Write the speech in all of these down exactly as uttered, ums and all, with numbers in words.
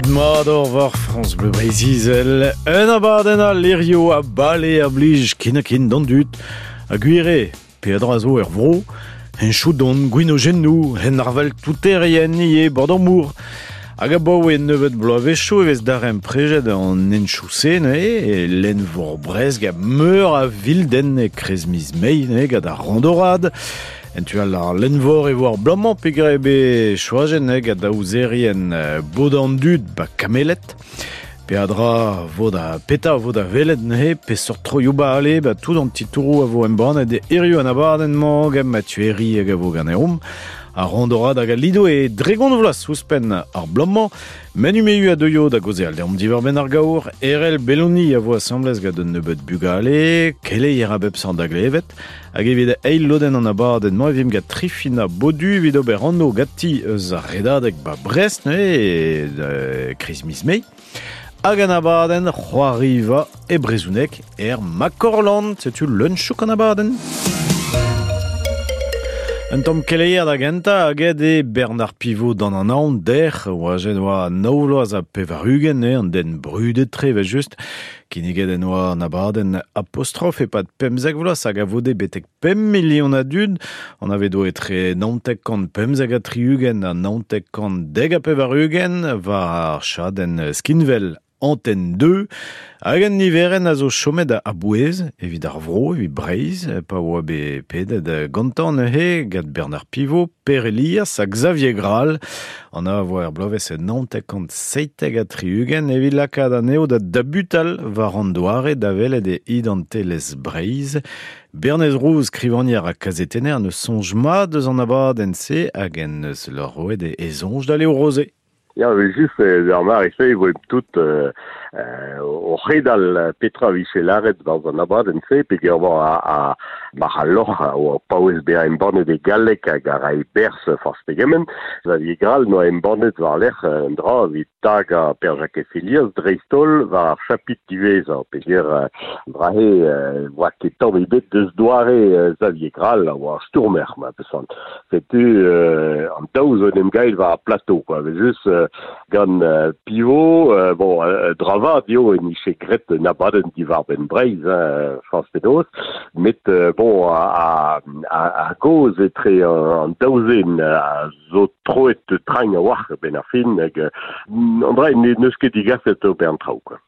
Mat ur war France Bleu Breizh-Izel, un abadenn a lerio a bale a blij kin a kin d'an dud, a gwire, peadra zo er vro, hen choudon, gwinogennou, hen arvel touterien ie bord an mour. Hag a baoe nebeut bloavezhioù e vez darem prejet an enchou-se, ne, e lenn vor Brest a meur a vilden e krez miz mei, ne, gant ar randorad. En tu all ar lenvor e vo ar blamañ peogwir eo bet choajet gant daouzerien bod an dud ba kamelet. Peadra vo da peta vo da welet neuze peseurt troioù bale ba tout an titouroù a vo embannet e hiziv an abadenn-mañ gant Mathieu Herry hag a vo ganeomp. Ar randorad hag al lido e dregont vloaz ouzhpenn ar bloaz-mañ. Manu Mehu a deuio da gaozeal deomp diwar-benn ar gaour. Erell Belloni a vo asambles gant un nebeud bugale, keleier a bep seurt da glevet. Hag evit eil lodenn an abadenn-mañ e vimp gant Trifina Bodu evit ober anv ganti eus ar redadeg ba Brest neuze e kriz miz Mae. Hag an abadenn c'hoariva e brezhoneg er Makorland. Setu leun chouk an abadenn. Un tamm keleier da gentañ hag eo Bernard Pivot d'an anaon dec'h oa jet oa nav vloaz ha pevar-ugent eo an den brudet tre evel just. Kinniget en oa an abadenn Apostrophe e-pad pemzek vloaz hag a vode betek pemp milion a dud. An ave do etre naontek kant pemzek ha tri-ugent ha naontek kant dek ha pevar-ugent war ar chadenn skinwel Antenne deux, hag an niverenn a zo chomet a bouez evit ar vro, evit Breizh, pa oa bet pedet gantañ neuze gant Bernard Pivot, Per Elias ha Xavier Grall. An a vo er bloavezh naontek kant seitek ha tri-ugent evit lakaat anezho da dabutal war an doare da welet e identelezh Breizh. Bernez Rouz, skrivagner ha kazetenner, ne soñj mat eus an abadenn-se hag en eus lor roet e soñj da Léo Rosé. Ya, evel just, ar mare-se e voe tout euh, euh, o c'hedal petra vije lâret barzh an abadenn-se, peogwir oa a, a mar al loc'h o paouez bezañ embannet e galleg hag a rae berzh forzh pegement. Xavier Grall noa embannet war-lerc'h un dra evit tagañ Per-Jakez Helias dreist-holl war ar chapitr diwezhañ, peogwir dra-se oa ket tamm ebet deus doare Xavier Grall a oa ar stourmer, ma peus Setu euh, an daou zo en em gael war ar plateau, quoi. Evel just euh, gant euh, Pivot, euh, bon, euh, dravad eo en nije graet un abadenn diwar-benn Breizh, hein, forzh penaos, met euh, bon, a, a, a gaoz etre an daou zen a zo troet trañ a-walc'h ben ar fin, hag an dra n'eus ket digaset ober an traoù, quoi.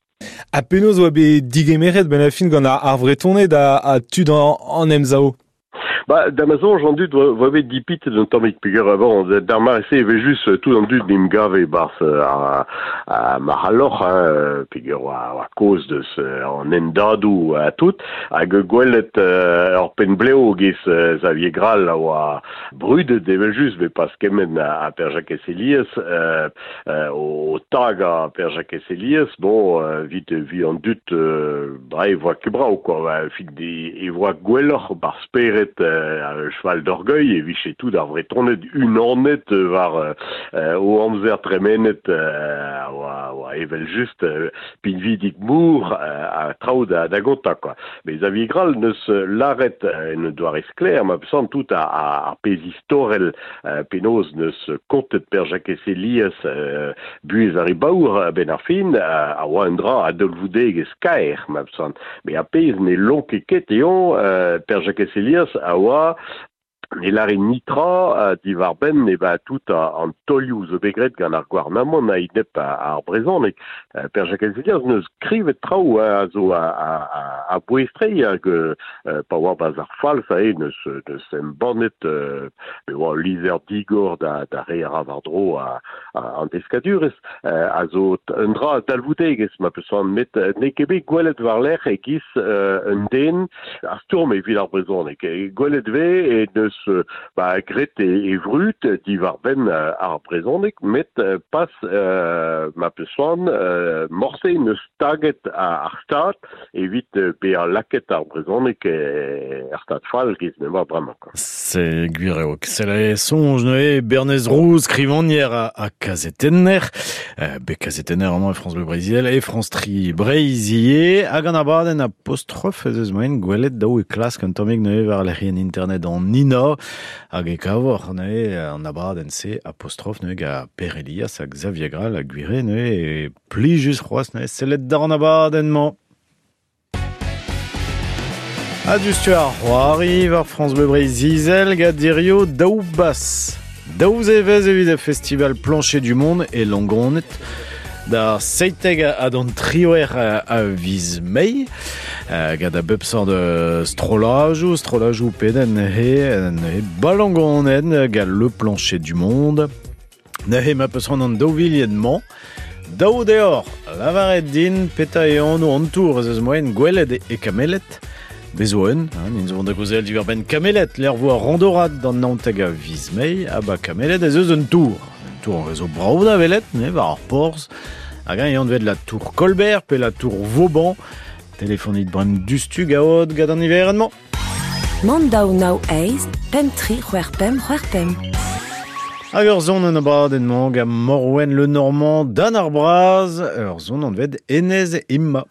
Ha penaos oa bet digemeret ben ar fin gant ar, ar Vretoned a, a tud an, an emzao? Ba, da ma soñj an dud oa bet dipitet un tammig peogwir bon, d'ar mare-se e vez just tout an dud n'em gave barzh ar, ar marc'halloc'h, hein, peogwir oa, oa kaoz deus an hendadoù ha tout, hag gwelet ur penn-blev giz Xavier Grall a oa brudet evel just, bet pas kement a, a Per-Jakez Helias, euh, euh, o tagañ Per-Jakez Helias, bon, evit vi an dud, euh, ba, e voa ket brav, quoi, fin e voa gwelloc'h bar spered euh, cheval d'orgueil e vije tout ar Vretoned unanet war euh, o amzer tremenet euh, oa, oa evel just euh, pinvidik mour euh, a traoù da, da gontañ, quoi. Mais Xavier Grall neus lâret en doare sklaer, ma peus tout a, a, ar pezh istorel euh, penaos neus kontet Per-Jakez Helias euh, buhez ar re baour ben ar fin a, a oa un dra a dalvoudegezh kaer, ma peus Mais ar pezh ne lonke ket eo euh, Per-Jakez Helias a oa ne lâre nitra diwar-benn e ba tout an taolioù zo bet graet gant ar gouarnamant a-enep ar brezhoneg. Per-Jakez Helias neus skrivet traoù a zo a, a, a, a bouez-tre hag euh, pa oa barzh ar Falz ae neus, neus embannet euh, be oa lizher digor da, da re a ra war-dro a, a, an deskadurezh euh, a zo un dra dalvoudegezh ma peus met n'eo ket bet gwelet war-lerc'h e-giz euh, un den ar stourm evit ar brezhoneg. Gwelet vez e neus ba, graet e, e vrud diwar-benn ar brezhoneg, met pas euh, ma peus euh, morse neus taget ar stad evit bezañ lakaet ar brezhoneg er stad fall giz m'emañ bremañ, quoi. C'est gwir eo. C'est la soñj neuze Bernez Rouz, skrivagner a, a kazetenner. Euh, bet kazetenner amañ e France Bleu Breizh-Izel e France Tri Breizh ivez. Hag an abadenn Apostrophe ez eus moaien gwelet daou e klask un tammig neuze war lec'hienn internet an I N A. tra, hag e kavor, ne, an abadenn se apostrophe, ne, ga Per Elias hag Xavier Grall hag gwire, ne, e plijus c'hoaz, ne, sellet d'ar an abadenn-mañ. A du ar c'hoari war France Bleu Breizh-Izel gant dirio daou bas. Daou zevez evit ar festival Plancher du Monde e Langonnet. Da seiteg a d'an trioer a viz mei. Gant a bep sort de strolajou, strolajou peden he, he balangonet gant le Plancher du Monde. Neuze ma peus an daou vilien-mañ. Daou deor, lavaret din, peta e anv an tour ez eus moen gwelet e kamelet. Bezo un, hein, nin zo da gozel diwar ben kamelet, l'er vo ar randorad d'an naonteg a viz mei, ha ba kamelet ez eus un tour. Un tour an rezo brao da velet, ne, war ar porz. Hag an vet la tour Colbert, pe la tour Vauban. Telefonit brem dustu gaod gant an iverenn-mañ. Mand daou nao eiz, pemp tri c'hwec'h pemp c'hwec'h pemp. Hag ur zon an abadenn-mañ gant Morwen Le Normand dan ar braz, ur zon an vet Enez Imma.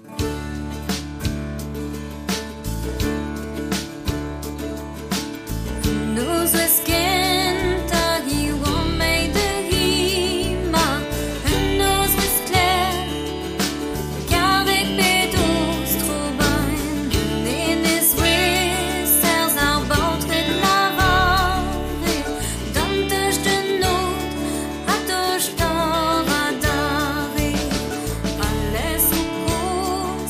Laisse au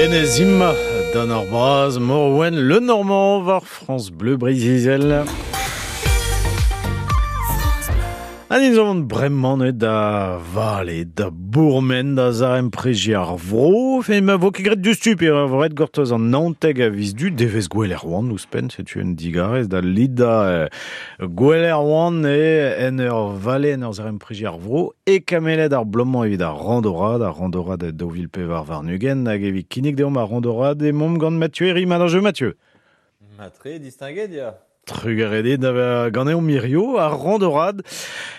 Enezim, Dan ar braz, Morwen, Le Normand, war France Bleu Breiz-Izel. An in zo bremañ neuet da vale, da bourmen, da zarem preji ar vro, fe ma vo ket graet dustu pe a vo ret gortoz an naontek a viz du, devez gwell erwan ouzhpenn, setu un digarez da lida euh, gwell erwan e en ur vale en ur zarem preji ar vro, e kamelet ar blomañ evit ar randorad, ar randorad daou vil pevar warn-ugent, hag evit kinnig deomp ar randorad e momp gant Mathieu Herri, ma jeu Mathieu. Matre distingué, dia. Trugaredet da ganeomp mirio ar randorad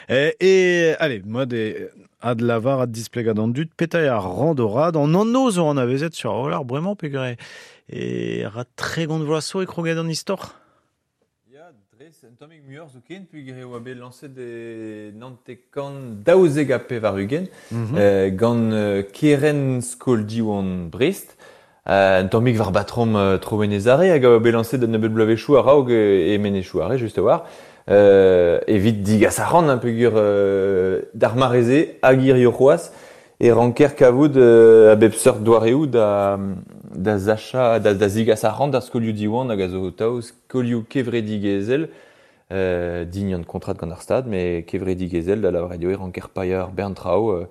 e, e allez, moi de ad lavar ad displegad an dud petai ar randorad an anno zo an avezet sur ar rolar bremañ pegre e ra tregont vloaz zo e kroget an istor. Ya, dres un tammig muioc'h zo ken pegre oa bet lañset e nantekan daouzek ha pevar ugent mm -hmm. euh, gant euh, Keren Skol Diwan Brest. Un tammig war batrom uh, tro Menezare hag a oa bet lañset d'un nebeud bloavezhioù a-raok e Menezioù are, just a-war. Euh, evit digas ar ran un peogwir euh, d'ar mareze hag hirio c'hoazh e ranker kavout euh, a bep seurt doareoù da, da zacha, da, da zigas ar ran d'ar skolioù Diwan hag a zo tav skolioù kevredigezhel euh, dign an kontrad gant ar stad, mais kevredigezhel da lavaret eo e ranker paeañ ar bern traoù euh,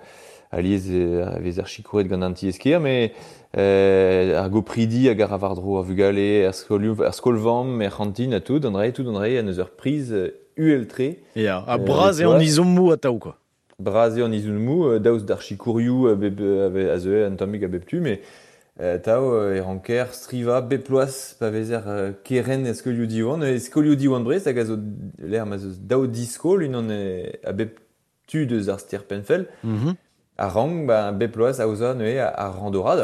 alies e vez ar sikouret gant an ti-eskier, mais euh, ar gopridi hag ar war-dro ar vugale, ar skolioù, ar skol-vamm, er c'hantin ha tout, an dra tout an dra an eus ur priz U L tre. Ya, ha bras eo an izommoù atav quoi. Bras eo an izommoù, daoust d'ar sikourioù bep, a zeue an tammig a bep tu, mais tav e ranker striva bep ploaz pa vezer keren e skolioù Diwan, e skolioù Diwan Brest hag a zo l'air ma zo daou diskol unan a bep tu deus ar ster Penfell. Mm -hmm. A rang, ba, bep ploaz aoza neuze ar randorad,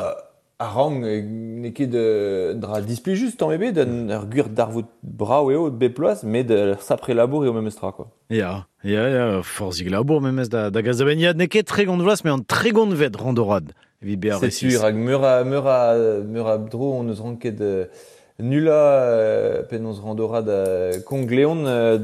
a rang n'eo ket dra displijus tamm ebet, un ur gwir darvoud brav eo bep ploaz, met ur sapre labour eo memes tra, quoi. Ya, ya, ya, forzhig labour memes da, da gaz da ben, ya, n'eo ket tregont vloaz, mais an tregont vet randorad, evit bezañ Setu, resis. rak meur a, meur a, meur a dro on eus ranket euh, nula euh, penaos randorad euh, Kongleon euh,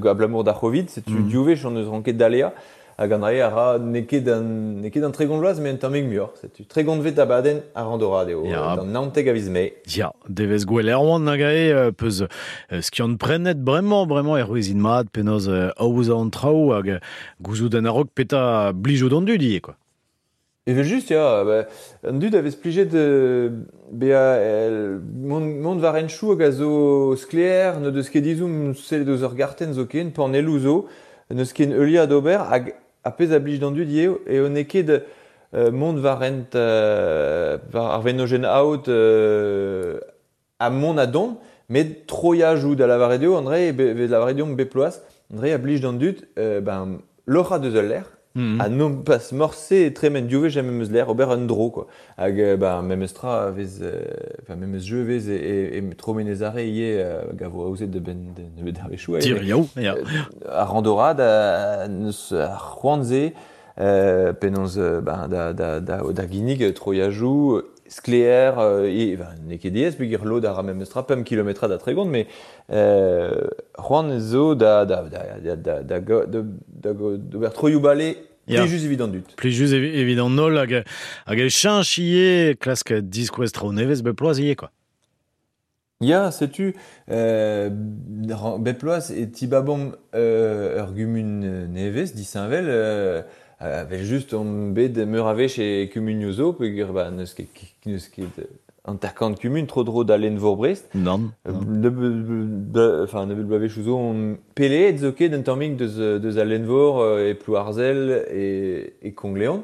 abalamour d'ar Covid, setu Mm. div wech on eus ranket dalea. Hag an dra a ra n'eo ket an, n'eo ket an tregont vloaz, met un tammig muioc'h. Setu tregont vet abadenn ar randorad eo, Ya. d'an naontek a viz Mae. Ya, devez gwell erwan hag ae peus euh, skiant prenet bremañ, bremañ er c'hwezin mat, penaos euh, aozañ an traoù hag gouzout an a-raok peta blijout an dud ivez, quoi. Evel just, ya, ba, an dud a vez plijet euh, bezañ el, mont, mont war henchoù hag a zo sklaer, n'o deus ket dizoum sellet eus ur gartenn zoken, panelloù zo, n'eus ket heuliañ d'ober, hag a pezh a blij d'an dud eo, eo n'eo ket euh, mont war hent euh, war ar venojenn aod euh, ha mont a dont, met troiajoù da lavaret eo, André, be, be lavaret deomp bep ploaz, André a blij d'an dud, euh, ben, loc'hañ deus ul lec'h, Mm -hmm. ha non pas morse e tremen div wech memes lec'h, ober un dro, quoi. Hag, euh, ben, memes tra vez, euh, enfin, memes jeu vez e, e, e tro Menezare ivez euh, hag a vo aozet da benn de nebeut ar wechoù. Tir yaou, ya. Ar randorad, a, neus ar c'hoant-se, euh, penaos euh, ben, da, da, da, da ginnig troiajoù, sklaer, euh, e, ben, n'eo ket diaes, peogwir lod a ra memes tra, pemp kilometrad a tregont, mais euh, c'hoant zo da, da, da, da, da, da, da, da, da, d'ober troioù bale Ya. plijus evit an dud. Plijus evi, evit an holl hag, hag e cheñch ivez klask diskouez traoù nevez bep ploaz ivez, quoi. Ya, setu, euh, bep ploaz e tibabomp euh, ur gumun nevez, disheñvel, euh, avel just on bet meur a wech e kumunioù zo, peogwir ba, n'eus ket, n'eus ket hanter-kant kumun tro-dro da Lenn-Vor Brest. Nann. Euh, enfin, nebeut bloavezhioù zo on peleet zo ket un tammig deus, deus al Lenn-Vor e Plouarzel e, e Kongleon.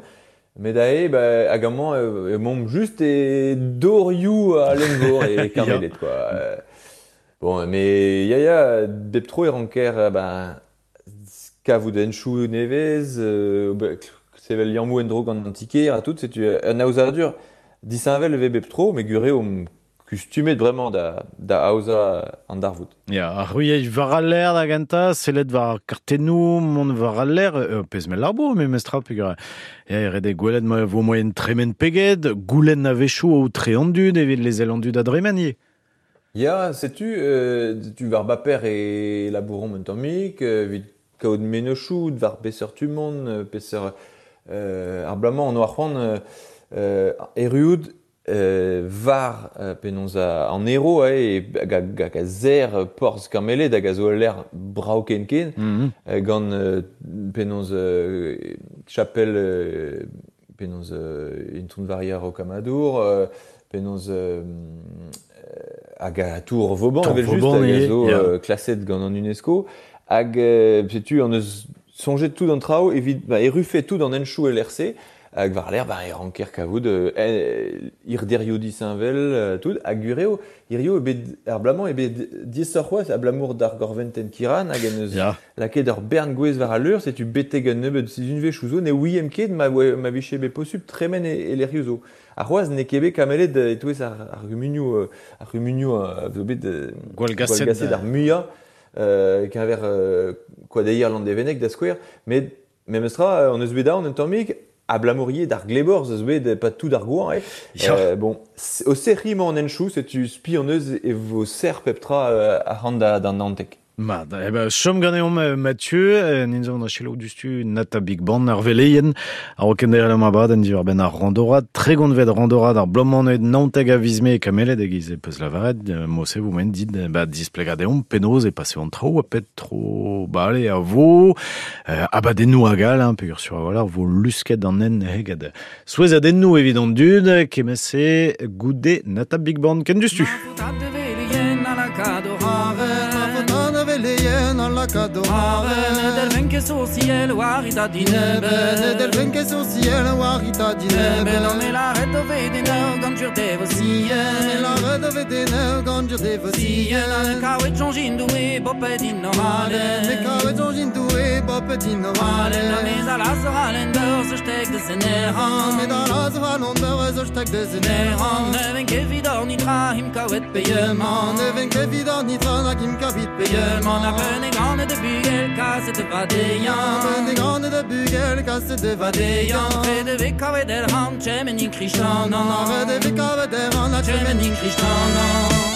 Met ae, ba, hag amañ, euh, emaomp just e dorioù a Lenn-Vor e Karmelet, quoi. Euh, bon, mais ya, ya, bep tro e ranker, ben, kavout henchoù nevez, euh, ba, sevel liammoù en-dro gant an tiker ha tout, setu un aozadur disheñvel e vez bep tro, met gwir eo omp kustumet bremañ da, da aozañ an darvoud. Ya, ar c'hwiej war al lec'h da gentañ, sellet war ar kartennoù, mont war al lec'h, euh, pezh mell labour, memes tra, peogwir ya, e ret eo gwelet ma vo moaien tremen peget, goulenn a-wechoù aotre an dud evit lezel an dud da dremen ivez. Ya, setu, euh, tu war baper e labouromp un tammig, euh, evit kaout mennozhioù, war peseurt tu-mont, peseurt euh, ar bloaz-mañ on oa c'hoant euh, euh, erruout euh, var euh, penaos a, an ero eh, hag a, hag a zer porzh Kameled hag a zo l'air brao ken ken mm -hmm. euh, gant euh, penaos euh, chapelle euh, penaos euh, Intron Varia Rocamadour euh, penaos euh, hag a Tour Vauban Tour evel just Vauban, hag a zo yeah. euh, klaset gant an UNESCO hag euh, setu an eus soñjet tout an traoù evit ba, errufe tout an enchou L R C hag war l'air ba e ranker kavout euh, ir derioù disheñvel euh, tout hag gureo hirio e bet ar blamañ e bet diesoc'h c'hoazh abalamour d'ar gorventen Kiran hag en eus yeah. lakaet ur bern gwez war al leur setu betek un nebeud sizhunvezh zo ne ouiem ket ma, ma vije bet posupl tremen e, e lec'hioù zo. Ar c'hoazh n'eo ket bet kamelet e-touez ar, ar gumunioù ar gumunioù a zo bet gwall gaset gwall gaset ar muiañ euh, keñver euh, koadeier Landévennec da skouer met memestra on eus bet aon un tammig abalamour d'ar glebor zo bet pas tout d'ar gouan eh. Ja. Euh, bon o serri emañ an enchou setu spi an eus e vo ser pep tra euh, ar da d'an Nantek. Mat, eh ben, chom ganeomp Mathieu, nin zo an achelo dustu Nata Big Band ar veleien, ar okenderel am abadenn diwar ben ar randorad, tregont vet randorad ar blomanet Nanteg a viz mae kamelet hag iz e peus lavaret, mose vous men dit, ba, displegadeomp penaos e pase an traoù, a pet tro bale a vo, euh, abadennoù hag all, hein, peogwir sur a voilà, vo lusket an en hegad. Souezhadennoù evit an dud, kemese goude Nata Big Band, ken dustu. Del venke social warita dinebe Del venke social warita dinebe Non me la red vede no ganjur devosien La red vede no ganjur devosien Kawet jonjin doué bopet normale Kawet jonjin doué bopet normale La mesa la soralen dor zo stek de zeneran Me da la soralen dor zo stek de zeneran Ne venke vidor nitra him kawet payement Ne venke vidor nitra na him kawet payement La peine grande de bugel kaset de vadeyan Peine grande de bugel kaset de vadeyan Près de vekavet el ran chemenin kristanan Près de vekavet el ran chemenin kristanan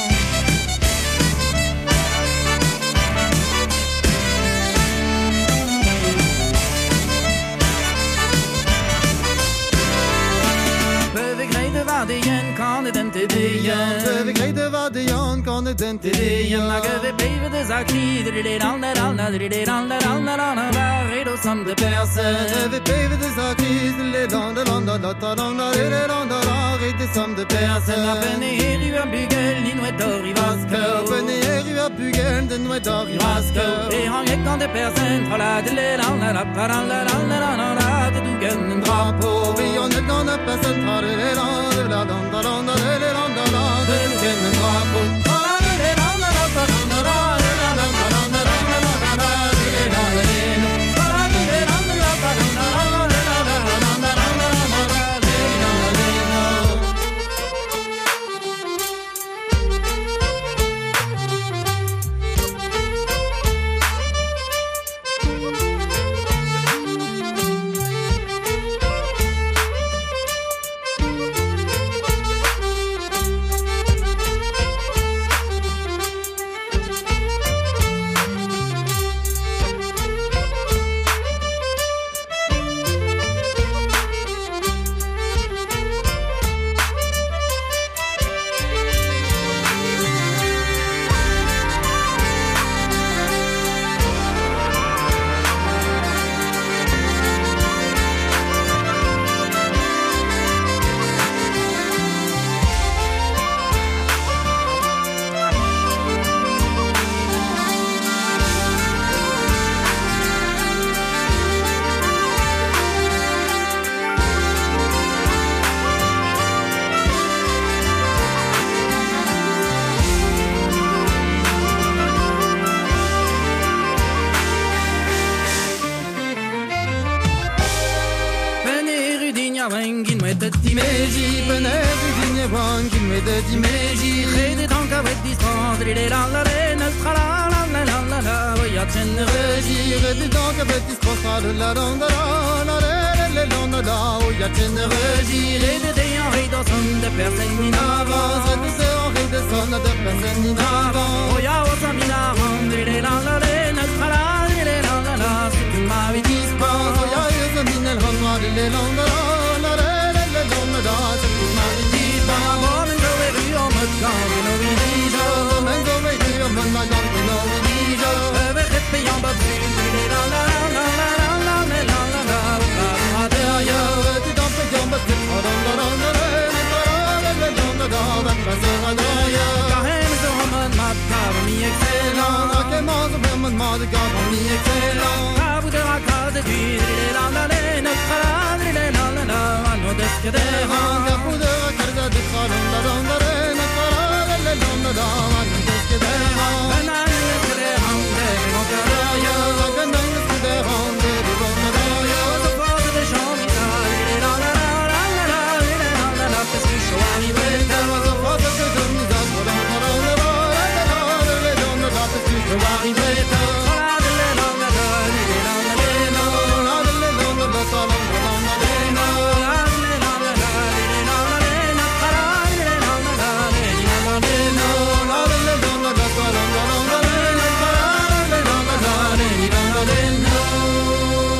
Vadeyen kan den tedeyen Beve greide vadeyen kan den tedeyen Hag ve beve de zakri de lan la lan la de lan la lan la lan la redo sam de perse Ve beve de zakri de lan la lan la la lan la la lan la redo sam de perse La pene eru a bugel ni noet orivaske Pene eru a bugel de noet orivaske E hang kan de perse tra la de lan la la la la la la la la de dougen un drapeau Ve on kan de perse tra de lan la la la la la la la la la drapeau la la la la la la.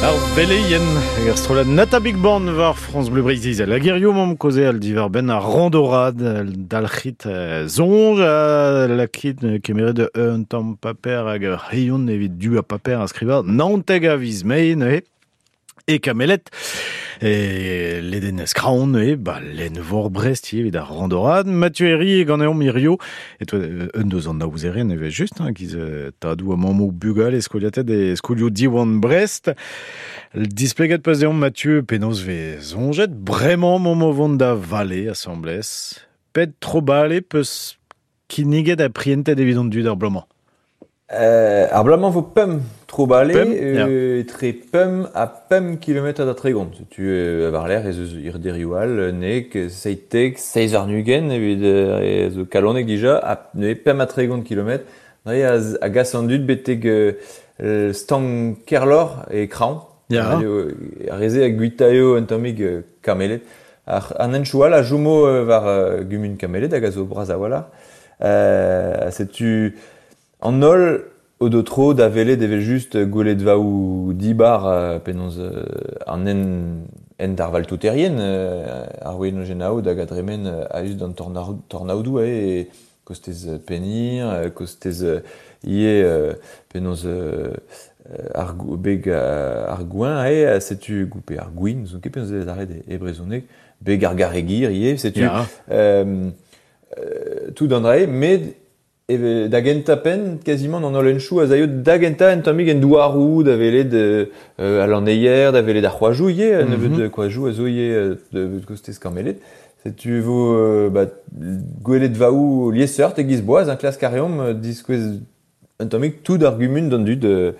Ar veleien, hag ar strollad Nata Big Band war France Bleu Breizh-Izel. Hag hirio m'am kaoze al diwar benn ar randorad, dalc'hit soñj a lakit kemeret un tamm paper hag ur c'hreion evit du a paper a skriva naontek a viz mae neuze e Kamelet. E ledenez Kraon e ba lenn-vor Brest evit ar randorad. Mathieu Herry ganeomp hirio. E toi, un deus an aouzerien eve just, hein, giz tadou a mammoù bugal e skoliated e skolioù Diwan Brest. Displeget peus deomp Mathieu penaos vez soñjet bremañ momp o vont da vale asambles. Pet tro bale peus kinniget ha prientet evit an dud ar bloaz-mañ. Euh, ar bloaz-mañ vo pemp tro bale, euh, etre pemp ha pemp kilometr da tregont. Setu euh, war l'air ez eus irderioù all, nek, seitek, seiz ar-ugent evit euh, zo kalonek dija, ha neuze pemp ha tregont kilometr. Dre a, a gas an dud betek euh, stang Kerlor e Kraon. Ya. Ar reze a guitaio un tammig euh, Kamelet. Ar, an henchoù all a joumo euh, war euh, gumun Kamelet hag a zo bras a-walc'h. Euh, setu an holl o do tro da welet evel just gwelet vaou dibar euh, penaos euh, an en, en d'ar valtouterien euh, ar wenojenao hag a dremen euh, a-us d'an tornaodoù e kostez Penir, kostez ie euh, penaos euh, ar beg ar gouin e setu goupe ar gwin, zo ket penaos ez arret e brezhoneg, beg ar garegir ie, setu Ya. euh, euh, tout an drae, met Eve, da genta pen, quasiment an holl henchoù a zaio da genta en tammig en douarou, da welet euh, a lanneier, da welet ar c'hoajoù ivez, mm -hmm. nebeut koajoù a zo ivez de kostez Kamelet. Setu vo euh, ba, gwelet vaou liesseurt e giz boaz, un klask a reomp diskouez un tammig tout ar gumun d'an dud euh,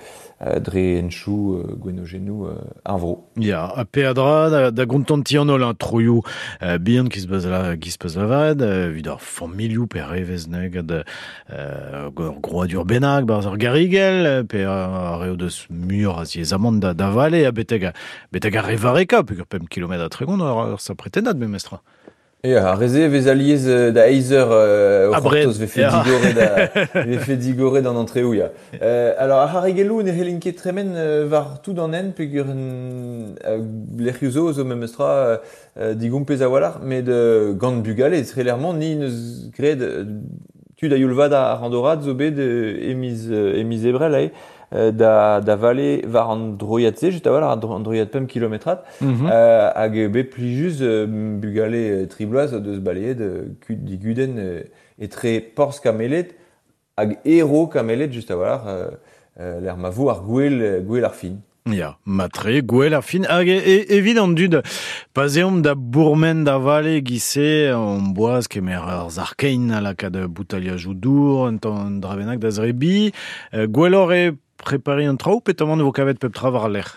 dre henchoù euh, gwenogennoù euh, ar vro. Ya, ha peadra da, da gontanti an holl, troioù euh, bihan ki se peus la, ki se peus lavaret, euh, evit ar familhoù pe revez neg ad euh, groadur bennak, barzh ar garigel, pe ar reo deus muioc'h a ziezamant da, da vale, ha beteg, beteg ar revareka, peogwir pemp kilometr ha tregont ar, ar sa pretennad memestra. E ar reze vez aliez da eizer euh, o c'hortoz vefe digoret da vefe digoret d'an antreoù ya. Euh, alors ar c'harrigelloù ne c'hellin ket tremen euh, war tout an hent peogwir euh, lec'hioù zo zo memestra euh, digompez a-walc'h, met euh, gant bugale trelermont ni neus graet tud a youl vat ar randorad zo bet euh, e miz, e miz ebrel ae. Da, da vale war an droiad-se, just a-walc'h an droiad pemp kilometrad, mm -hmm. euh, hag bet plijus euh, bugale tri bloaz deus baleet euh, digudenn euh, etre Porzh Kamelet hag Ero Kamelet, just a-walc'h, euh, euh, l'er ma vo ar gwel, gwel ar fin. Ya, matre, gwel ar fin. Hag e, evit an dud, pa zeomp da bourmen da vale gise, an boaz kemer ar zarkein a lakaat boutaliajoù dour, un tamm dra bennak da zrebi, gwelloc'h eo prepari an traoù, petamant vo kavet pep tra war al lec'h?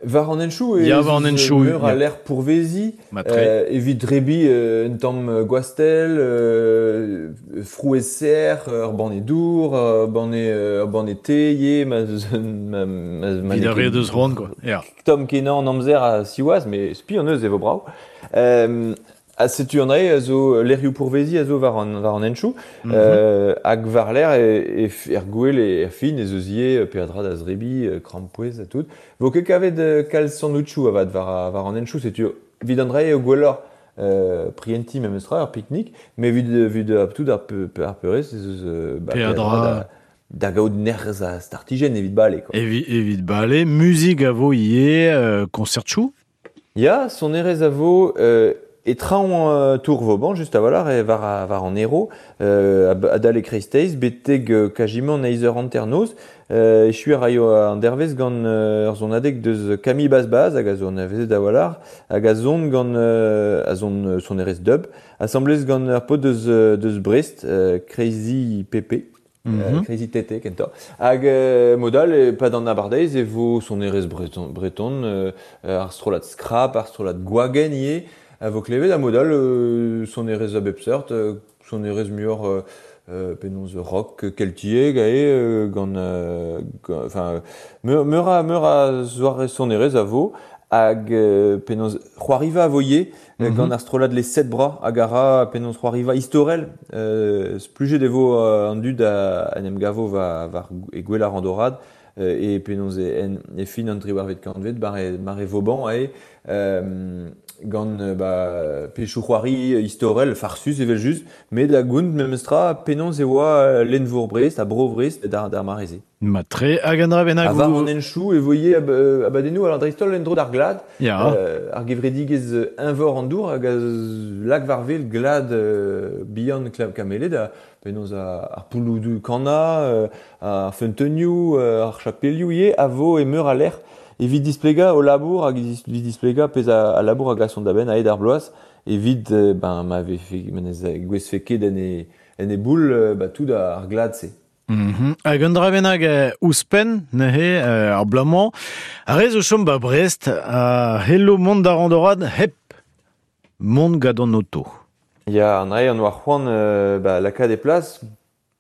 War an henchoù e ya, war an henchoù, meur a lec'h pourvezi, euh, evit drebi euh, un tamm gwastell, euh, frouezh serr, ur banne dour, ur banne, ur banne te, ye, ma... ma, ma, ma Evit ar re deus c'hoant, quoi. Ya. Tomm kenañ an amzer a siwazh, mais spi an eus e vo brav. Euh, A setu an drae a zo lec'hioù pourvezi a zo war an, war an henchoù, mm -hmm. euh, hag war l'air e, e, er gwel e er fin ez eus ivez peadra da zrebi, krampouezh ha tout. Vo ket kavet kalz sandwichoù avat war, war an henchoù, setu evit an drae eo gwelloc'h euh, prienti memestra ur pique-nique, mais evit, evit tout ar, pe, ar peurez ez eus ba, peadra da, da gaout nerz a startijen evit bale, quoi. Evi, evit bale, muzik a vo ie, euh, concert chou? Ya, sonerez a vo, euh, e traoñ euh, tour Vauban, just a valar, e var, a, var an ero, euh, adal e kreisteiz, beteg euh, kajiment eiz eur hanternoz, euh, echu a raio an dervez gant euh, ur zonadeg deus Camille Bazbaz, hag a zo an avezet a valar, hag a zon gant euh, a zon sonerez dub, assemblez gant ur pot deus, deus Brest, euh, Crazy P P, Mm -hmm. euh, Crazy T T, kentoc'h. Hag euh, modal, e pad an abardeiz e vo sonerez breton, breton euh, ar strollad Scrap, ar strollad Gwagen ivez, a vo klevet, ha modal euh, sonerez a bep seurt, euh, sonerez muioc'h euh, euh, penaos rock keltiek ae euh, gant, euh, enfin meur, meur a meur a zoare sonerez a vo hag euh, penaos c'hoariva a vo ivez mm -hmm. gant ar strollad Les Sept Bras hag a ra penaos c'hoariva istorel euh, splujet e vo euh, an dud a, en em gavo va, var e gwell ar randorad euh, e penaos e, en, e fin an triwarvet kantved bar e, mar e Vauban ae euh, gant ba, pechou c'hoari istorel farsus evel just, met da gount memestra penaos e oa lenvour Brest, a bro Brest d'ar, d'ar mareze. Matre hag an dra bennak. A var an enchou e voye ab, abadennoù al dreistol endro d'ar glad, Ya. euh, ar gevredigez envor an dour hag a lak varvel glad euh, bihan kamelet a penaos ar pouloudou kana, euh, ar feunteunioù, ar chapelioù ivez a vo e meur a lec'h evit displega o labour hag evit displega pezh a, a labour hag a son da benn a-hed ar bloaz evit euh, ben ma vefe menez gwez fe ket en e, en e boul euh, ba tout ar glad se. Mm -hmm. Hag un dra bennak euh, ouzhpenn neuze euh, ar bloaz-mañ ar re zo chom ba Brest a hello mont da randorad hep mont gant an oto. Ya, an dra an oa c'hoant euh, ba, lakaat e plas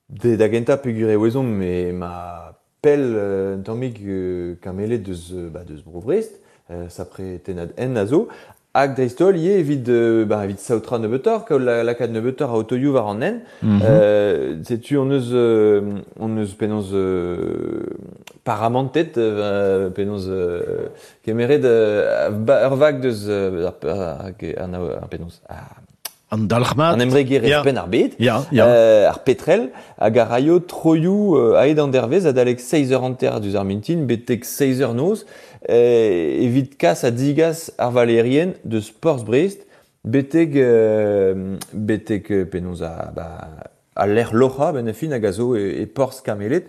de, da gentañ peogwir e ouezomp me ma pell euh, un tammig euh, kamelet deus, ba, deus bro Brest, euh, sapre tennad en a zo, hag dreist-holl ivez evit, euh, ba, evit saotra nebeutoc'h, kaout la, lakaat nebeutoc'h a otoioù war an hent. Mm -hmm. euh, setu on eus, euh, on eus penaos euh, paramantet, euh, penaos euh, kemeret euh, ba, ur vag deus euh, ar, ar, ar, ar, penaos ar, An dalc'hmat. An embregerezh Ya. penn ar bed. Ya, ya. Euh, ar petrel hag ar raio troioù euh, a-hed an dervez adalek seizh eur hanter diouzh ar mintin betek seizh eur noz euh, evit kas ha digas ar valerien deus Porzh Brest betek euh, betek euh, penaos a, ba, a lec'h loc'hañ ben a fin hag a zo e, e Porzh Kamelet.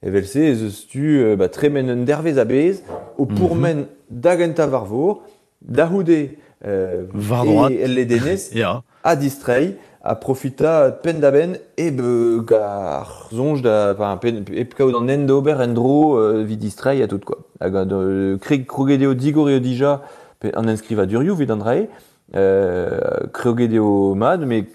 Evel-se ez eus tu euh, ba, tremen un dervez a-bezh o pourmen mm -hmm. da gentañ war vor, da c'houde euh, War droad. e el ledenez Ya. a distreiñ, a profita penn da benn e be gar soñj da enfin, pen, hep kaout an hent d'ober en dro euh, evit distreiñ ha tout quoi. Hag euh, kreg kroget eo digor eo dija pe an enskrivadurioù evit an drae, euh, kroget eo mat, met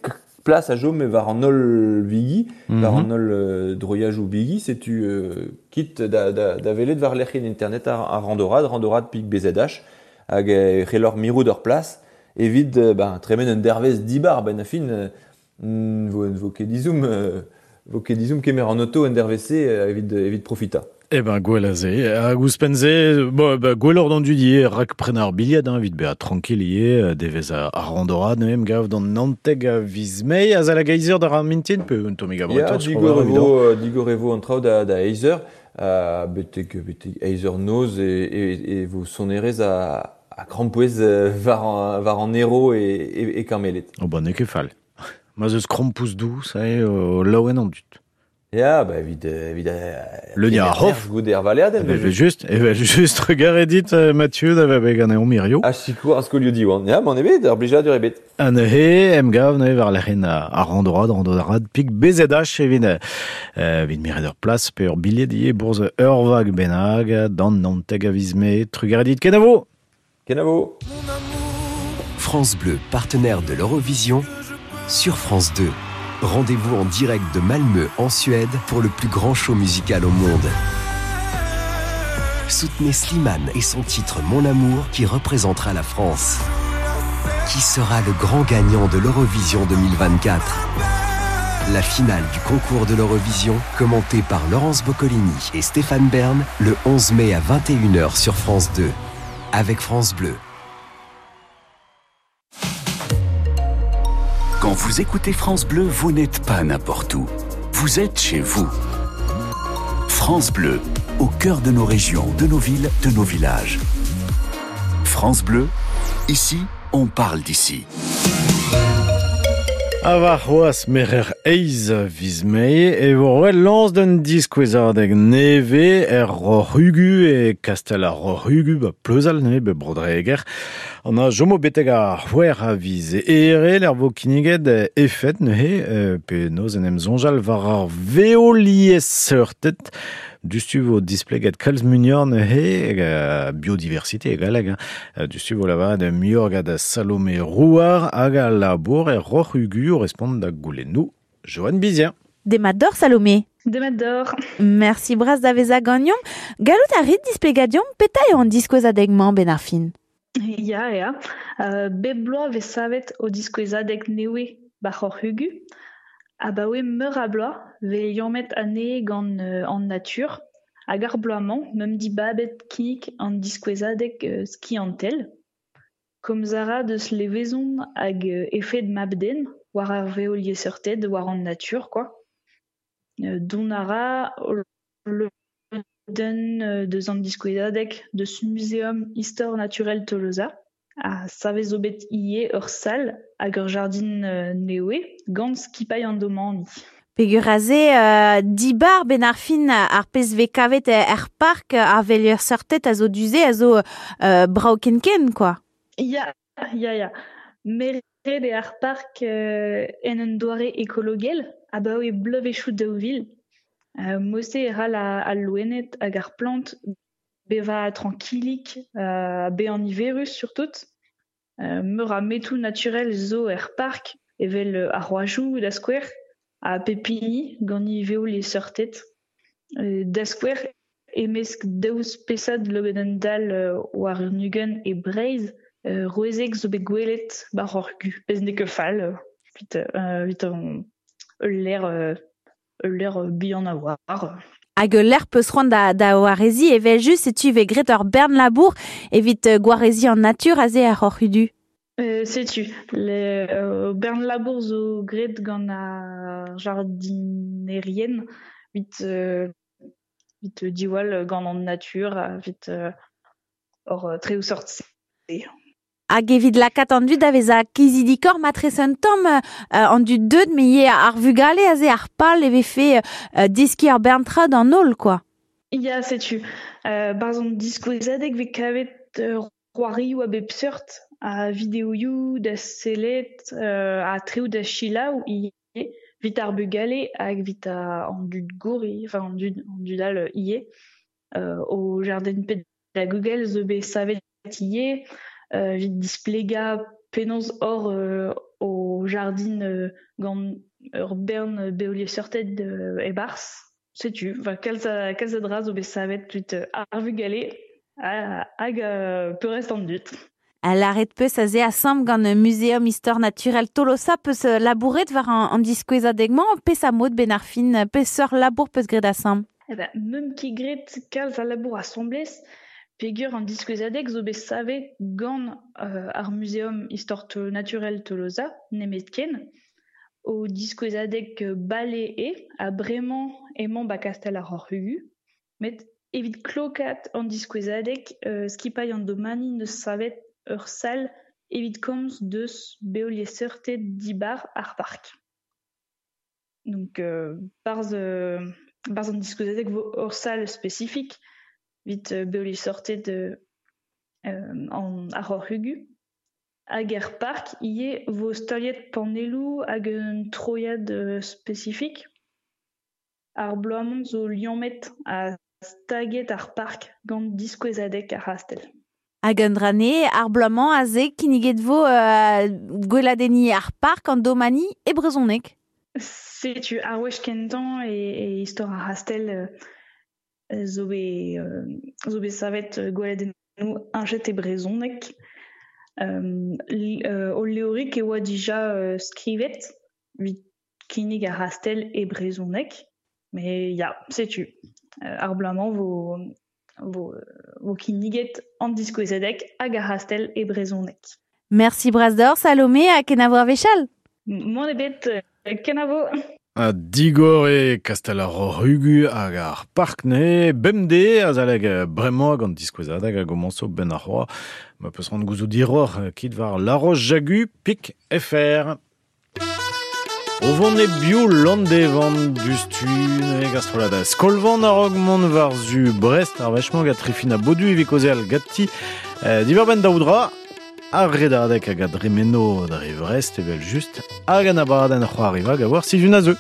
plas a chom war an holl bigi, mm -hmm. war an holl euh, droiajoù bigi, setu euh, kit da, da, da welet war lec'hienn internet ar, ar randorad, randorad pik B Z H, hag e c'hellor mirout ur plas, evit euh, ben, tremen un dervez dibar, ben a fin, euh, vo, vo ket dizoum, euh, vo ket dizoum kemer an oto en dervez-se euh, evit, evit profita. Eh ben, gwell a ze. Hag ouzhpenn-se, bo, ba, gwelloc'h d'an dud ivez, rak prenañ ar bilhed, hein, evit bezañ tranquil ivez, devez ar, ar randorad, neuze gav d'an naontek a viz Mae, azalek eizh eur d'ar mintin, pe un tammig Ya, abretoc'h, digor e vo, euh, digor e vo an traoù da, da eizh eur, euh, betek, betek eizh eur noz e, e, e vo sonerezh a, a krampouezh euh, war an, war an ero e, e, e Kameled. Oh ba, n'eo ket fall. Ma zeus krampouezh dous, ae, o laouen an dud. Ya, ba, evit, euh, evit euh, Le kemer ar hof. nerzh goude ar valeadenn, Evel just, evel just, trugarez dit, euh, Mathieu, da vezañ bet ganeomp hirio. Ha sikour ar skolioù Diwan. Ya, m'en ebet, ar blijadur ebet. Ha neuze, em gav neuze war lec'hienn ar randorad, randorad pik B Z H evit, euh, evit miret ur plas pe ur bilhed ivez bourzh ur vag bennak d'an naontek a viz Mae. Trugarez dit, kenavo! Kenavo! France Bleu, partenaire de l'Eurovision, sur France deux. Rendez-vous en direct de Malmö, en Suède, pour le plus grand show musical au monde. Soutenez Slimane et son titre Mon Amour qui représentera la France. Qui sera le grand gagnant de l'Eurovision deux mille vingt-quatre? La finale du concours de l'Eurovision, commentée par Laurence Boccolini et Stéphane Bern, le onze mai à vingt et une heures sur France deux. Avec France Bleu. Quand vous écoutez France Bleu, vous n'êtes pas n'importe où. Vous êtes chez vous. France Bleu, au cœur de nos régions, de nos villes, de nos villages. France Bleu, ici, on parle d'ici. A war c'hoaz merer eiz viz mae e vo roet lañs d'un diskouezadeg neve er Roc'h-Ugu e Kastel ar Roc'h-Ugu ba Pleuzal ne be Brodreger. An a jomo beteg ar c'hwec'h a viz ere l'er vo kinniget efet neuze pe noz en em zonjal war ar veoliez seurtet. Dustu vo displeget kalz muioc'h neuze biodiversité e galleg. Dustu vo lavaret muioc'h gant Salomé Rouard hag a labour er Roc'h-Ugu o respont da goulennoù Joanne Bizien. Demat deoc'h Salomé. Demat deoc'h. Merci bras da vezañ ganeomp. Gallout a rit displegañ deomp petra eo an diskouezadeg-mañ ben ar fin. Ya, ya. Uh, bep bloaz vez savet o diskouezadeg nevez ba Roc'h-Ugu. Abaoe meur a bloaz vez liammet anezhe gant euh, an natur. Hag ar bloaz-mañ, meump dibabet kinnig an diskouezadeg euh, skiantel. Komz a ra deus levezon hag euh, efed mab-den war ar veoliezseurted, war an natur, quoi. Euh, dont a ra lodenn euh, deus an diskouezadeg deus Museum Histoire Naturelle Tolosa. A savez zo bet ivez ur sal hag ur jardin euh, nevez gant skipailh an domani. Peogwir aze euh, dibar ben ar fin ar pezh vez kavet er park ar veoliezseurted a zo du-se a zo euh, brav ken-ken, quoi. Ya, ya, ya. Meret eo ar park euh, en un doare ekologel abaoe bloavezhioù daou vil. Euh, Mod-se e c'hall al loened hag ar plant bevañ trankilik, euh, bezañ niverus surtout. Euh, meur a metoù naturel zo er park evel ar c'hoajoù da skouer ha pep hini gant e veoliezseurted. Euh, da skouer e-mesk daou spesad loened-dall euh, war un ugent e Breizh, euh, rouezek zo bet gwelet ba Roc'h-Ugu. Pezh n'eo ket fall, evit, euh, evit ul lec'h, euh, ul lec'h bihan a-walc'h. Hag ul lec'h peus c'hoant da, da wareziñ evel just setu vez graet ur bern labour evit gwareziñ an natur aze er Roc'h-Ugu. Euh, setu, le, euh, bern labour zo graet gant ar jardinerien evit, euh, evit diwall gant an natur, evit euh, hor treoù sort-se. Hag evit lakaat an dud da vezañ kizidikoc'h matrese un tamm euh, an dud deuet me ivez ar vugale aze ar pal e vefe euh, deskiñ ar bern tra d'an holl, quoi. Ya, setu. Euh, barzh an diskouezadeg vez kavet euh, c'hoarioù a bep seurt, a videoioù da sellet, euh, ha treoù da selaou ivez, evit ar bugale hag evit an dud gour, enfin an dud, an dud all ivez. Euh, o jardin pedagogel zo bet savet ivez, euh, evit displegañ penaos hor euh, o jardin euh, gant ur bern beoliezseurted euh, e-barzh. Setu, enfin, kalz a, kalz a dra zo bet savet evit ar vugale hag euh, peurrest an dud. Lâret peus aze asambl gant Museum Histoire Naturelle Tolosa peus labouret war an, an diskouezadeg-mañ, pes a mod ben ar fin, peseurt labour peus graet asambl? Eh ben, meump ket graet kalz a labour asambles, peogwir an diskouezadeg zo bet savet gant euh, ar Museum Histoire Naturelle Tolosa, nemetken, o diskouezadeg bale eo, ha bremañ emañ ba Kastel ar Roc'h-Ugu, met evit klokaat an diskouezadeg euh, skipailh an domani neus savet ur sal evit komz deus beoliezseurted dibar ar park. Donc, euh, barzh, euh, barzh an diskouezadeg vo ur sal spesifik evit euh, beoliezseurted euh, an ar Roc'h-Ugu. Hag er park ivez vo staliet panelloù hag un troiad euh, spesifik. Ar bloaz-mañ zo liammet ha staget ar park gant diskouezadeg ar c'hastell. Hag un dra nevez, ar bloaz-mañ aze kinniget vo euh, gweladenniñ ar park an domani e brezhoneg. Setu ar wech kentañ e, e istor ar c'hastell euh, zo bet, euh, zo bet savet gweladennoù heñchet e brezhoneg. Euh, euh, o levrig e oa dija euh, skrivet evit kinnig ar c'hastell e brezhoneg. Mais ya, setu. Euh, ar bloaz-mañ vo, vo, vo kinniget an diskouezadeg hag ar c'hastell e brezhoneg. Merci bras deoc'h, Salomé, ha kenavo ar wech all. Mann ebet, kenavo. A digor e Kastel ar Rugu hag ar park ne bemde a zaleg bremañ gant diskouezadeg hag gomañso ben ar c'hoa. Ma peus rand gouzout diroc'h kit war La Roche-Jagu pik F R. O vont e bio Landevan dustu ne gastrolada. Skolvan a-raok mont war zu Brest ar wechmañ gant Trifina Bodu evit kaozeal ganti. Eh, diwar benn daoudra ar redadeg hag a dremeno dre Vrest evel just hag an abadenn c'hoariva hag a war sizhun a zeu.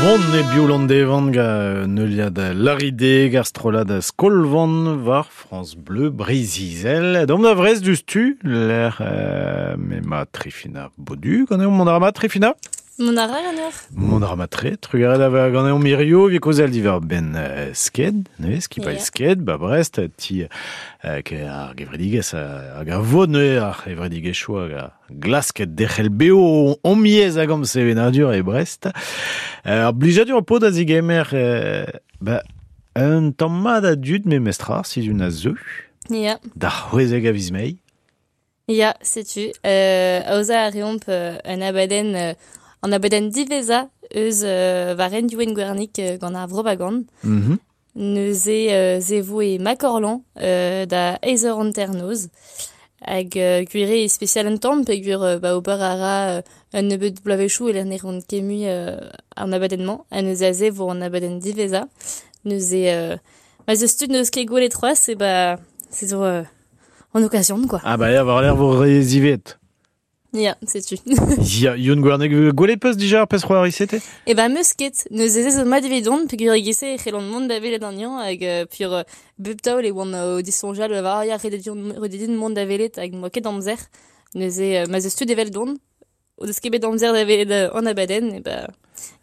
Vont e biolant devan ga neuliad Laride gar strolad Skolvan war France Bleu Breiz-Izel. Dom da vrez du stu, l'air euh, me ma Trifina Bodu, gant eo mont ar ma Trifina? Mont ar ra Mont ar ma tre, trugaret a gant eo mirio, vi kozel diver ben euh, sked, ne, skipa yeah. Sked, ba Brest, ti euh, ke ar gevredigez hag a vod ne ar gevredigez choa hag a glasket dec'hel beo omiez hag am sevenadur e Brest. Ar blijadur pod a zigemer euh, ba, un tamm mat a dud me mestrar si un a zeu. Ya. Da c'hwezek a viz mei. Ya, setu. Euh, aoza a reomp euh, un abadenn euh, an abadenn diveza eus euh, varen diouen gwernik euh, gant ar vrobagan. Mm -hmm. Neuze euh, zevo e Makorlan euh, da eiz eur hanternoz. Hag euh, gwire e spesial un tamm peogwir euh, ba ober a ra euh, un nebeud bloavezhioù e lec'h ne ran ket mui euh, an abadenn-mañ. Ha neuze aze vo an abadenn diveza. Neuze euh, ma zeus tud n'eus ket gwelet c'hoazh e ba c'est zo euh, en occasion quoi. Ah bah ya war l'air vo re zivet. Ya, setu. Ya, Youn Gwernek, gwelet peus dija ar pezh c'hoari sete? E ba meus ket, neuze ez zo mat evidon, peogwir e gese e c'hellont mont da welet an yañ hag euh, pur euh, bep taol e oan o disonjal war ya rededin mont da welet hag moa ket amzer. Neuze euh, ma zeus tud evel don, o deus ket bet amzer da welet an abadenn, e ba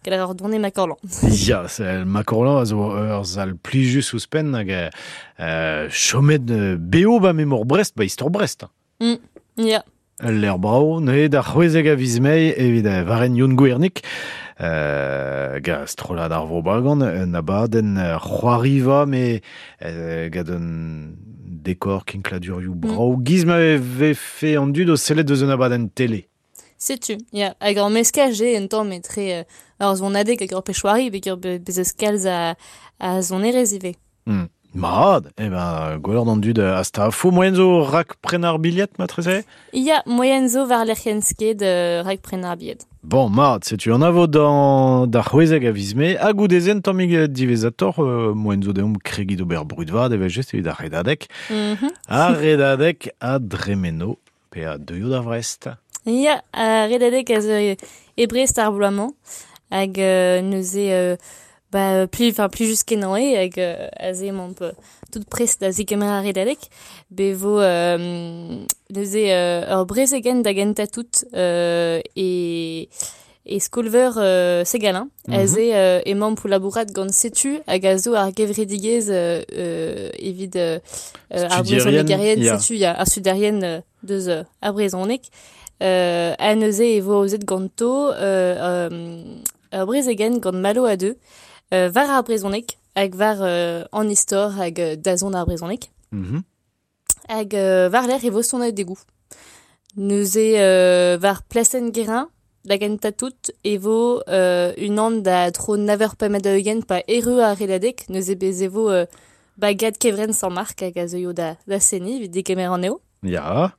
gall ar don e Makorlan. Ya, c'est Makorlan a zo ur zal plijus ouzhpenn hag euh, chomet beo ba memor Brest, ba istor Brest. Mm, ya. L'air brao, ne da c'hwezek a viz mei evit varen Youn Gwernik euh, ga strollad ar vrobagan un abadenn c'hoariva me euh, gant un dekor kinkladurioù brao. Mm. Giz ma vefe an dud o sellet deus un abadenn télé. Setu, ya. Hag ar meskaj eo un tamm etre euh, ar zonadeg hag ar pechouari begur bez eus kalz a, a zonerez ivez. Mm. Mad, eh ben, gwelloc'h d'an dud hasta fo moyen zo rak pren ar bilhet, matreze? Ya, moyen zo war lec'hienn sked euh, rak pren ar bilhet. Bon, mad, setu an avo d'an da c'hwezek a viz mae, hag goudezen tammig divezator, euh, moyen zo deomp kregi d'ober brudvad evel just evit ar redadeg. Mm -hmm. Ar redadeg a dremeno, pe a deuio da Vrest. Ya, ar redadeg a zo e Brest ar bloaz-mañ, hag euh, neuze... Euh, Ba, pli, enfin, pli just kenañ eo hag euh, aze emaomp tout prest da zegemer ar redadeg. Be vo euh, neuze euh, ur brezegenn da gentañ tout euh, e, e skolveur euh, Segalin. Mm -hmm. Aze euh, emaomp o labourat gant setu hag a zo ar gevredigezh euh, evit euh, ar brezhonegerien, yeah. Setu, ya, ar studerien euh, deus euh, ar brezhoneg. Euh, ha neuze e vo aozet ganto euh, euh, ur brezegenn gant Malo a deux. Euh, war ar brezhoneg hag war euh, an istor hag euh, dazont ar brezhoneg. Mm -hmm. Hag euh, war lec'h e vo sonet degoù. Neuze euh, war plasenn Guérin, da gentañ tout, e vo euh, unan da tro nav eur pemp da ugent pa erru ar redadeg, neuze bez e vo euh, bagad kevrenn Saint-Marc hag a zeuio da, da seni evit degemer an eo. Ya.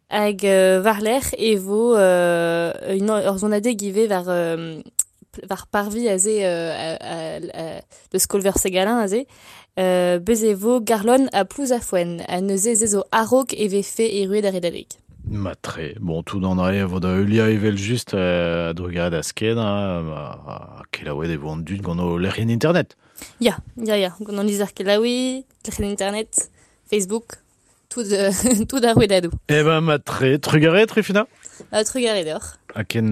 Hag euh, war lec'h e vo euh, une ur zonadeg ivez war euh, war parvi aze euh, a, a, a, de skolver Segalin aze euh, bez e vo Garlon a Plouzafouen a neuze ze zo a-raok e vefe erruet ar redadeg. Matre, bon, tout an ae vo da heulia evel just euh, a drugaret a sked, a kelaouet e vo an dud gant o lec'hienn internet. Ya, ya, ya, gant an lizher kelaouiñ, lec'hienn internet, Facebook, tout, euh, tout ar rouedadoù. Eh ben, matre, trugaret, Trifina? Uh, trugaret deoc'h. Ha ken,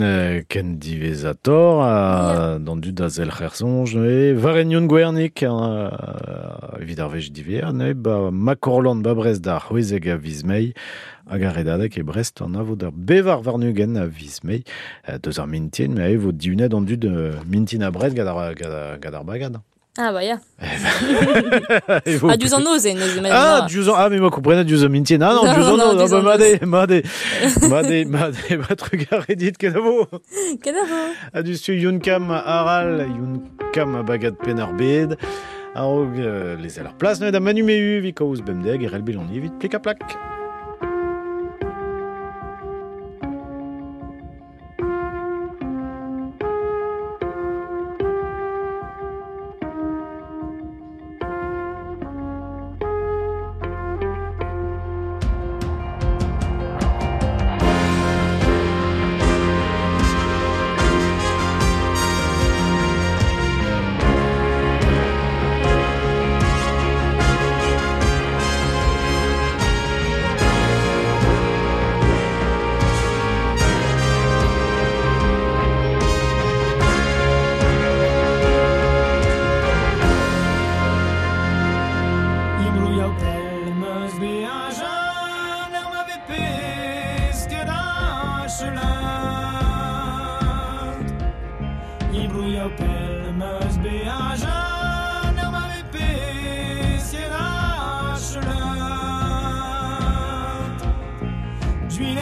ken divezator, a, d'an dud da zel c'hersonj, e varen Youn Gwernik, uh, evit ar wech diver, ne, ba Makorlan ba Brest da c'hwezek a viz mei, hag ar redadeg e Brest an avo d'ar bevar warnugen a viz mei, deus ar mintin, me vo diunet an dud mintin a Brest gant ar, gant ar bagad. Ah bah ya. Ah, diouzh an noz eo, neuze. Ah, diouzh an... Ah, mais ma komprenet diouzh an mintin. Ah non, diouzh an noz. Ah, bah, made, made, made, made, ma trugarez dit, kenavo. Kenavo. Ha du stu Youn Kam aral, Youn Kam bagad penn ar bed. A-raok euh, lezel ar plas, neuze da Manu Mehu, vi kaoz bemdeg, erel beloni evit plik ha plak.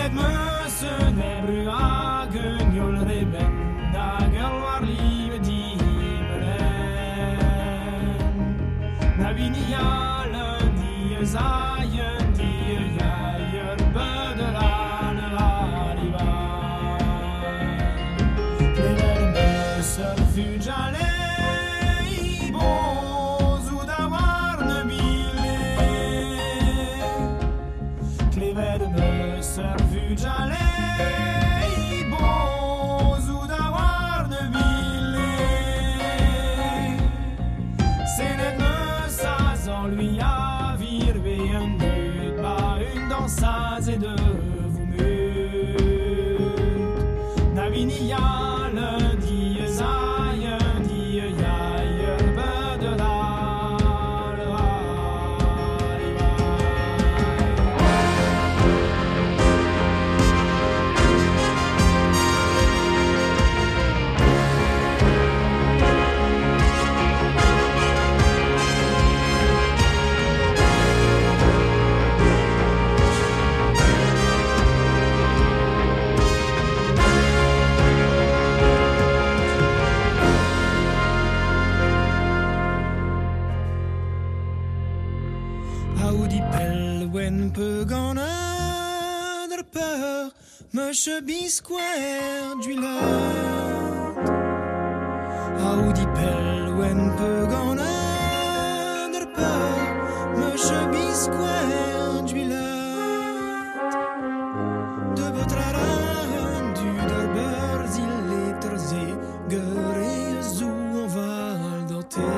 Senet meus un ebru hag un yol reben hag ur war live dimelen Na vini al un diez ay un die yaï ur beudel an arriva Klevet meus ur fujale Meche bisquer d'huilette Aoudi pel wen pe gant der peur Meche bisquer d'huilette De botraran du der beurz il eterze Gere zou an val danté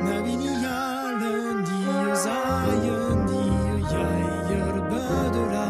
Na vini al diez ay un die yaï ur beudela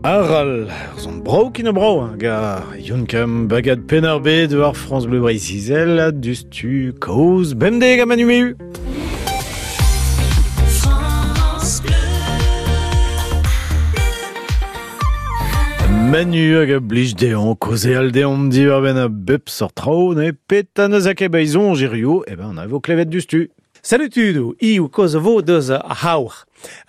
Aral, zon brau kin brau, ga Yonkam bagad penarbe de ar France Bleu Breizh-Izel, dustu kaoz bemde ga manu France Bleu. Manu hag a blij deon, koze al deon diwar ben a bep sort trao, ne pet an eus a kebaizon jirio, e ben an a vo klevet dustu. Salut tudo, iu koz vo deus a haur.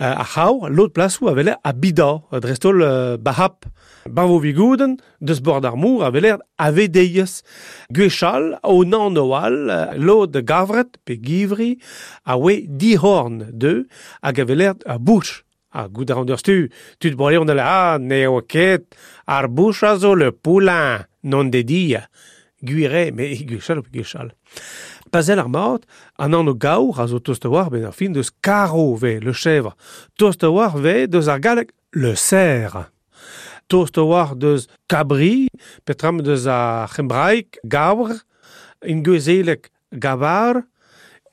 A haur, l'autre place où avait a bida, drestol bahap. Barvo vigouden, deus bord ar mour avait l'air avedeies. Gwechal, o nan oal, lod gavret, pe givri, a oe dihorn de, hag avait l'air a bouch. A gout ar an stu, tud brolion de la, ah, ne o ket, ar bouch a zo le poulain, non dedia. Guire, mais gwechal pe gwechal. Pazel ar mat, an an o gaour a zo tost a war ben ar fin deus karo ve, le chèvre. Tost a war ve deus ar galleg le cerf. Tost a war deus kabri, petram deus ar c'hembraik gavr, in gwezelek gavar,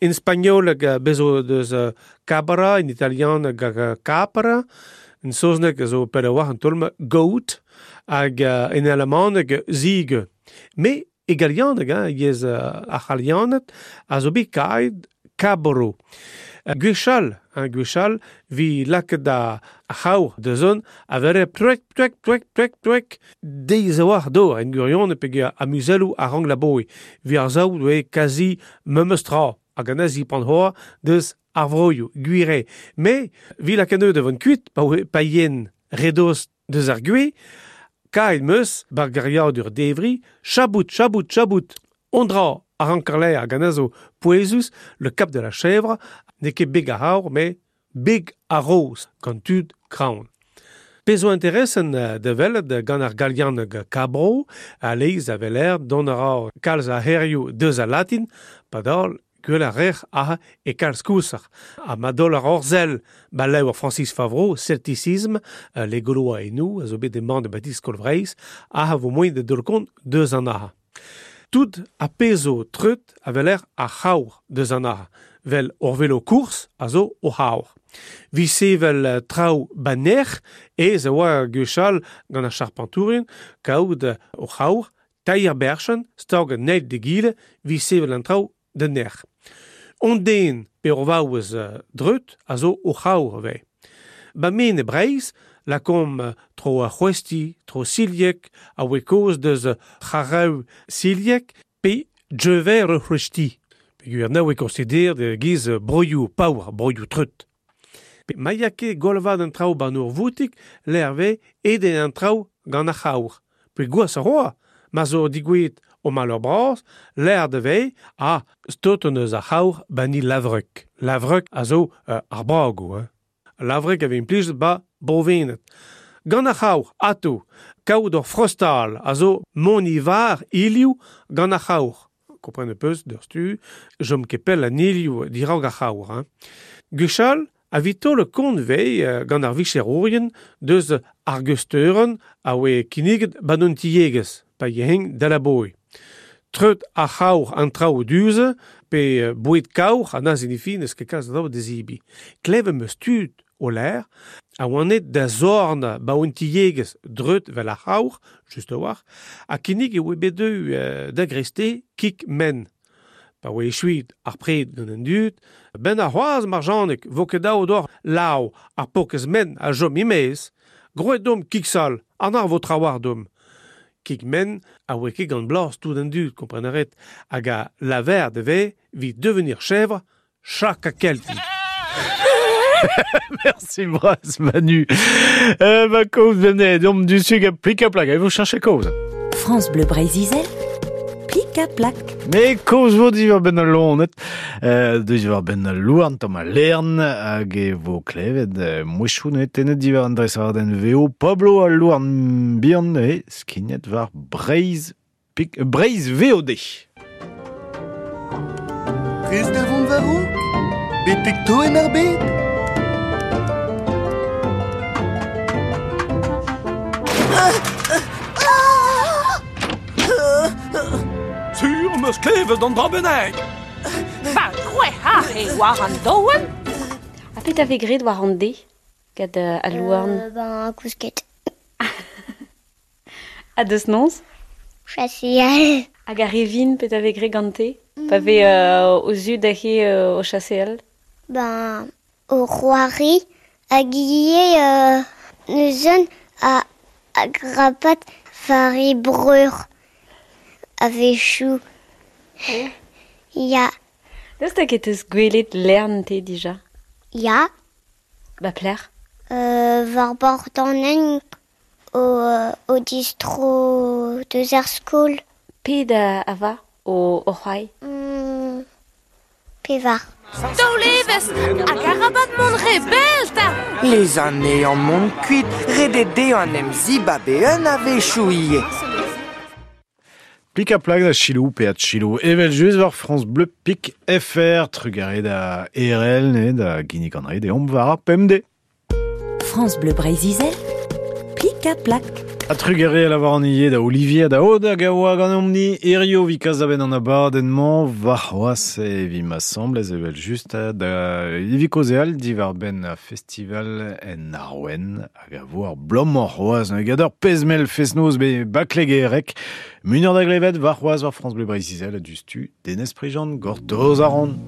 in spagnoleg bezo deus cabra, in italian capra, in saozneg zo pell a war an tolm goat, hag in alamaneg ziege. Me e galianeg, hein, yez ar c'halianed, a zo bet kaet Cabro. Gwechall, hein, gwechall, vi lakaet da c'haour da zon, a vere plek, plek, plek, plek, plek, deiz a war do, en gwirion pe amuzelloù a rang la boe. Vi ar zaout oe kazi memes tra, hag an azi pan hoa deus ar vroioù, gwire. Me, vi lakaet da vont kuit, pa, pa yen redoz deus ar gwe, kaet meus, bar gariadur devri, chabout, chabout, chabout, ondra a rankarle hag an azo pouezus, le cap de la chèvre, n'eo ket beg ar c'haour, met beg ar roz, gant tud kraon. Pezh zo interesen da welet gant ar galianeg Cabro, a leiz a veler dont a ra kalz a herioù deus a latin, padal gwell a rec'h a e kalz kousar. Ha ma dol ar orzel ba levr Francis Favreau, Celticisme, les Gaulois et nous, a zo bet emañ de Baptiste Kolvreiz, a vo moaien da dol kont deus an aha. Tout a pezo treut a veler ar c'haour deus an aha. Vel ur velo kourz a zo o c'haour. Vi sevel traoù baner ez a oa gwechall gant ar charpentourin kaout o c'haour teir berchen stag an eil d'egile vi sevel an traoù da nec'h. On den pe ur vaouez dreut a zo o c'haour ve. Ba men e Breizh, lakomp tro ar c'hwesti, tro siliek, a oe koz deus c'harev siliek, pe djever ur c'hwesti. Peogwir na oe konsider de giz broioù paour, broioù treut. Pe ma ya ket golvad an traoù ban ur voutik, l'erve eden an traoù gant ar c'haour. Pe gwaz a roa, ma zo digouet o malheur bras, l'air de vei a stot an eus ar c'haour bani lavrek. Lavrek a zo euh, ar bragoù. Hein. Lavrek a vez implijet ba brovenet. Gant ar c'haour, ato, kaout ur frostal a zo mont ivar ilioù gant ar c'haour. Kompren peus d'ur stu, jom ket pell an ilioù dirag ar c'haour. Hein. Gwechall, a vito le kont vei gant ar vicherourien deus ar geusteuren a oe kinniget ban un tiegez, pa yeheng da la boe. Treut ar c'haour an traoù duze, pe boued kaour an a zinifi neus ket kalz da dezibi. Klev em eus tud o l'air, a oan et da zorn ba un tiegez dreut vel ar c'haour, just a war, a kinnig e oe bet deu euh, da greste kik men. Pa oe echuit ar pred gant an dud, ben ar c'hoaz marjanek vo ket daou d'or lao ar pokez men a jom imez, groet dom kik sal, an ar vo trawar dom. Kik men a oe ket gant blas tout an dud, komprenaret, hag a laver de ve vit devenir chèvre, chak a kelti. Merci bras Manu. Euh, ma cause venait d'homme du sud à plic à plaque. Vous cherchez cause. France Bleu Breizh-Izel, plic à plaque. Mais cause vo diwar ben al lonet, euh, diwar ben al louarn tamm al lern, hag e vo klevet euh, mouechou tenet diwar an dresadenn veo Pablo al louarn bihan e skignet war Breizh, pik, Breizh V O D. Prez da vont war raok, betek toen ar bed. Sur meus klevet an dra bennak. Ba, c'hwec'h ar e war an doen. A pet a vez graet war an de, gant uh, al louarn? Euh, ben, kousket. A deus noz? Chaseal. Hag ar revin pet a vez graet gante? Mm. Pa vez euh, o zud ahe euh, o chaseal? Ben, o c'hoari hag ivez euh, neuzen a, a grapat war e breur. A-wechoù. Ya. Daoust hag e teus gwelet lern te dija? Ya. Ba pler? Euh, war bord an hent o, o distro deus ar skol. Pet a, a va o, o c'hoari? Mm, pevar. Daoulevez hag arabat mont re bell ta! Les années en mont kuit, redet dezhañ an em zibabe un a-wechoù ivez. Plik a plag da chilou pe a chilou. Evel just war France Bleu Pik F R, trugarez da R L ne da Guinea Connery de omp war ar P M D. France Bleu Breizh-Izel, plik a plak. A trugarez a lavar an ie da Olivier da Oda gaoa gant omni Erio vikaz da ben an abadenn-mañ war c'hoaz e vi ma semblez evel just da evi kozeal diwar ben a festival en Arwen hag a vo ar blom c'hoaz ne gador pezmel fesnoz be baklegerek munur da glevet war c'hoaz war France Bleu Breizh-Izel a dustu Denez Prigent gortoz a ran.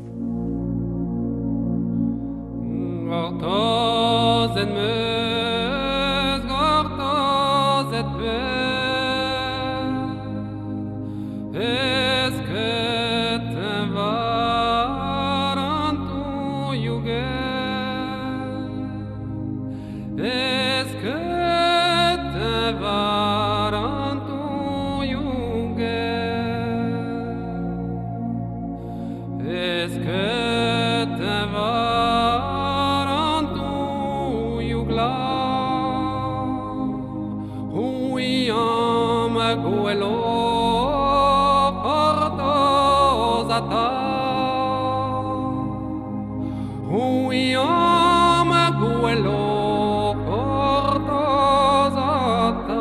ata Hui am gwelo gortoz ata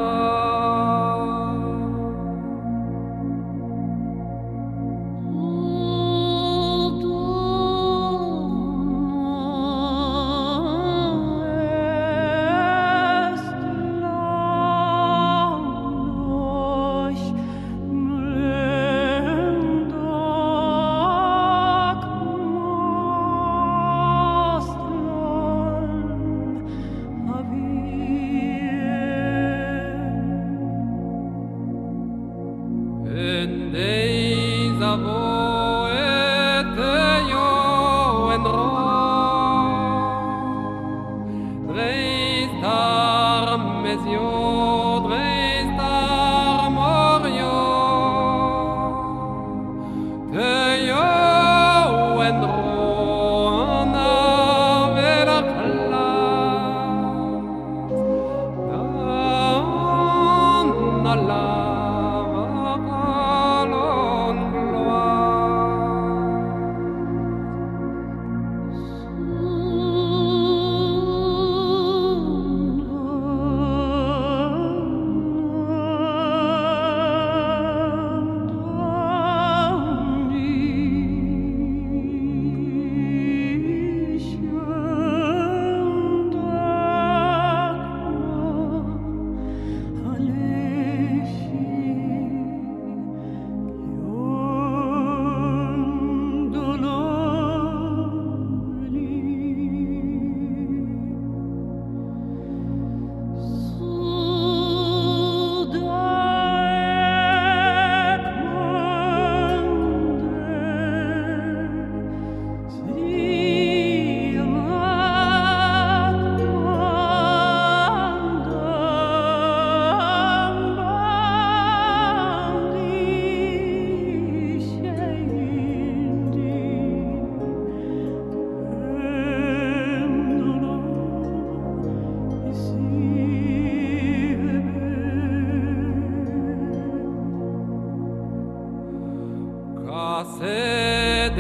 Kaset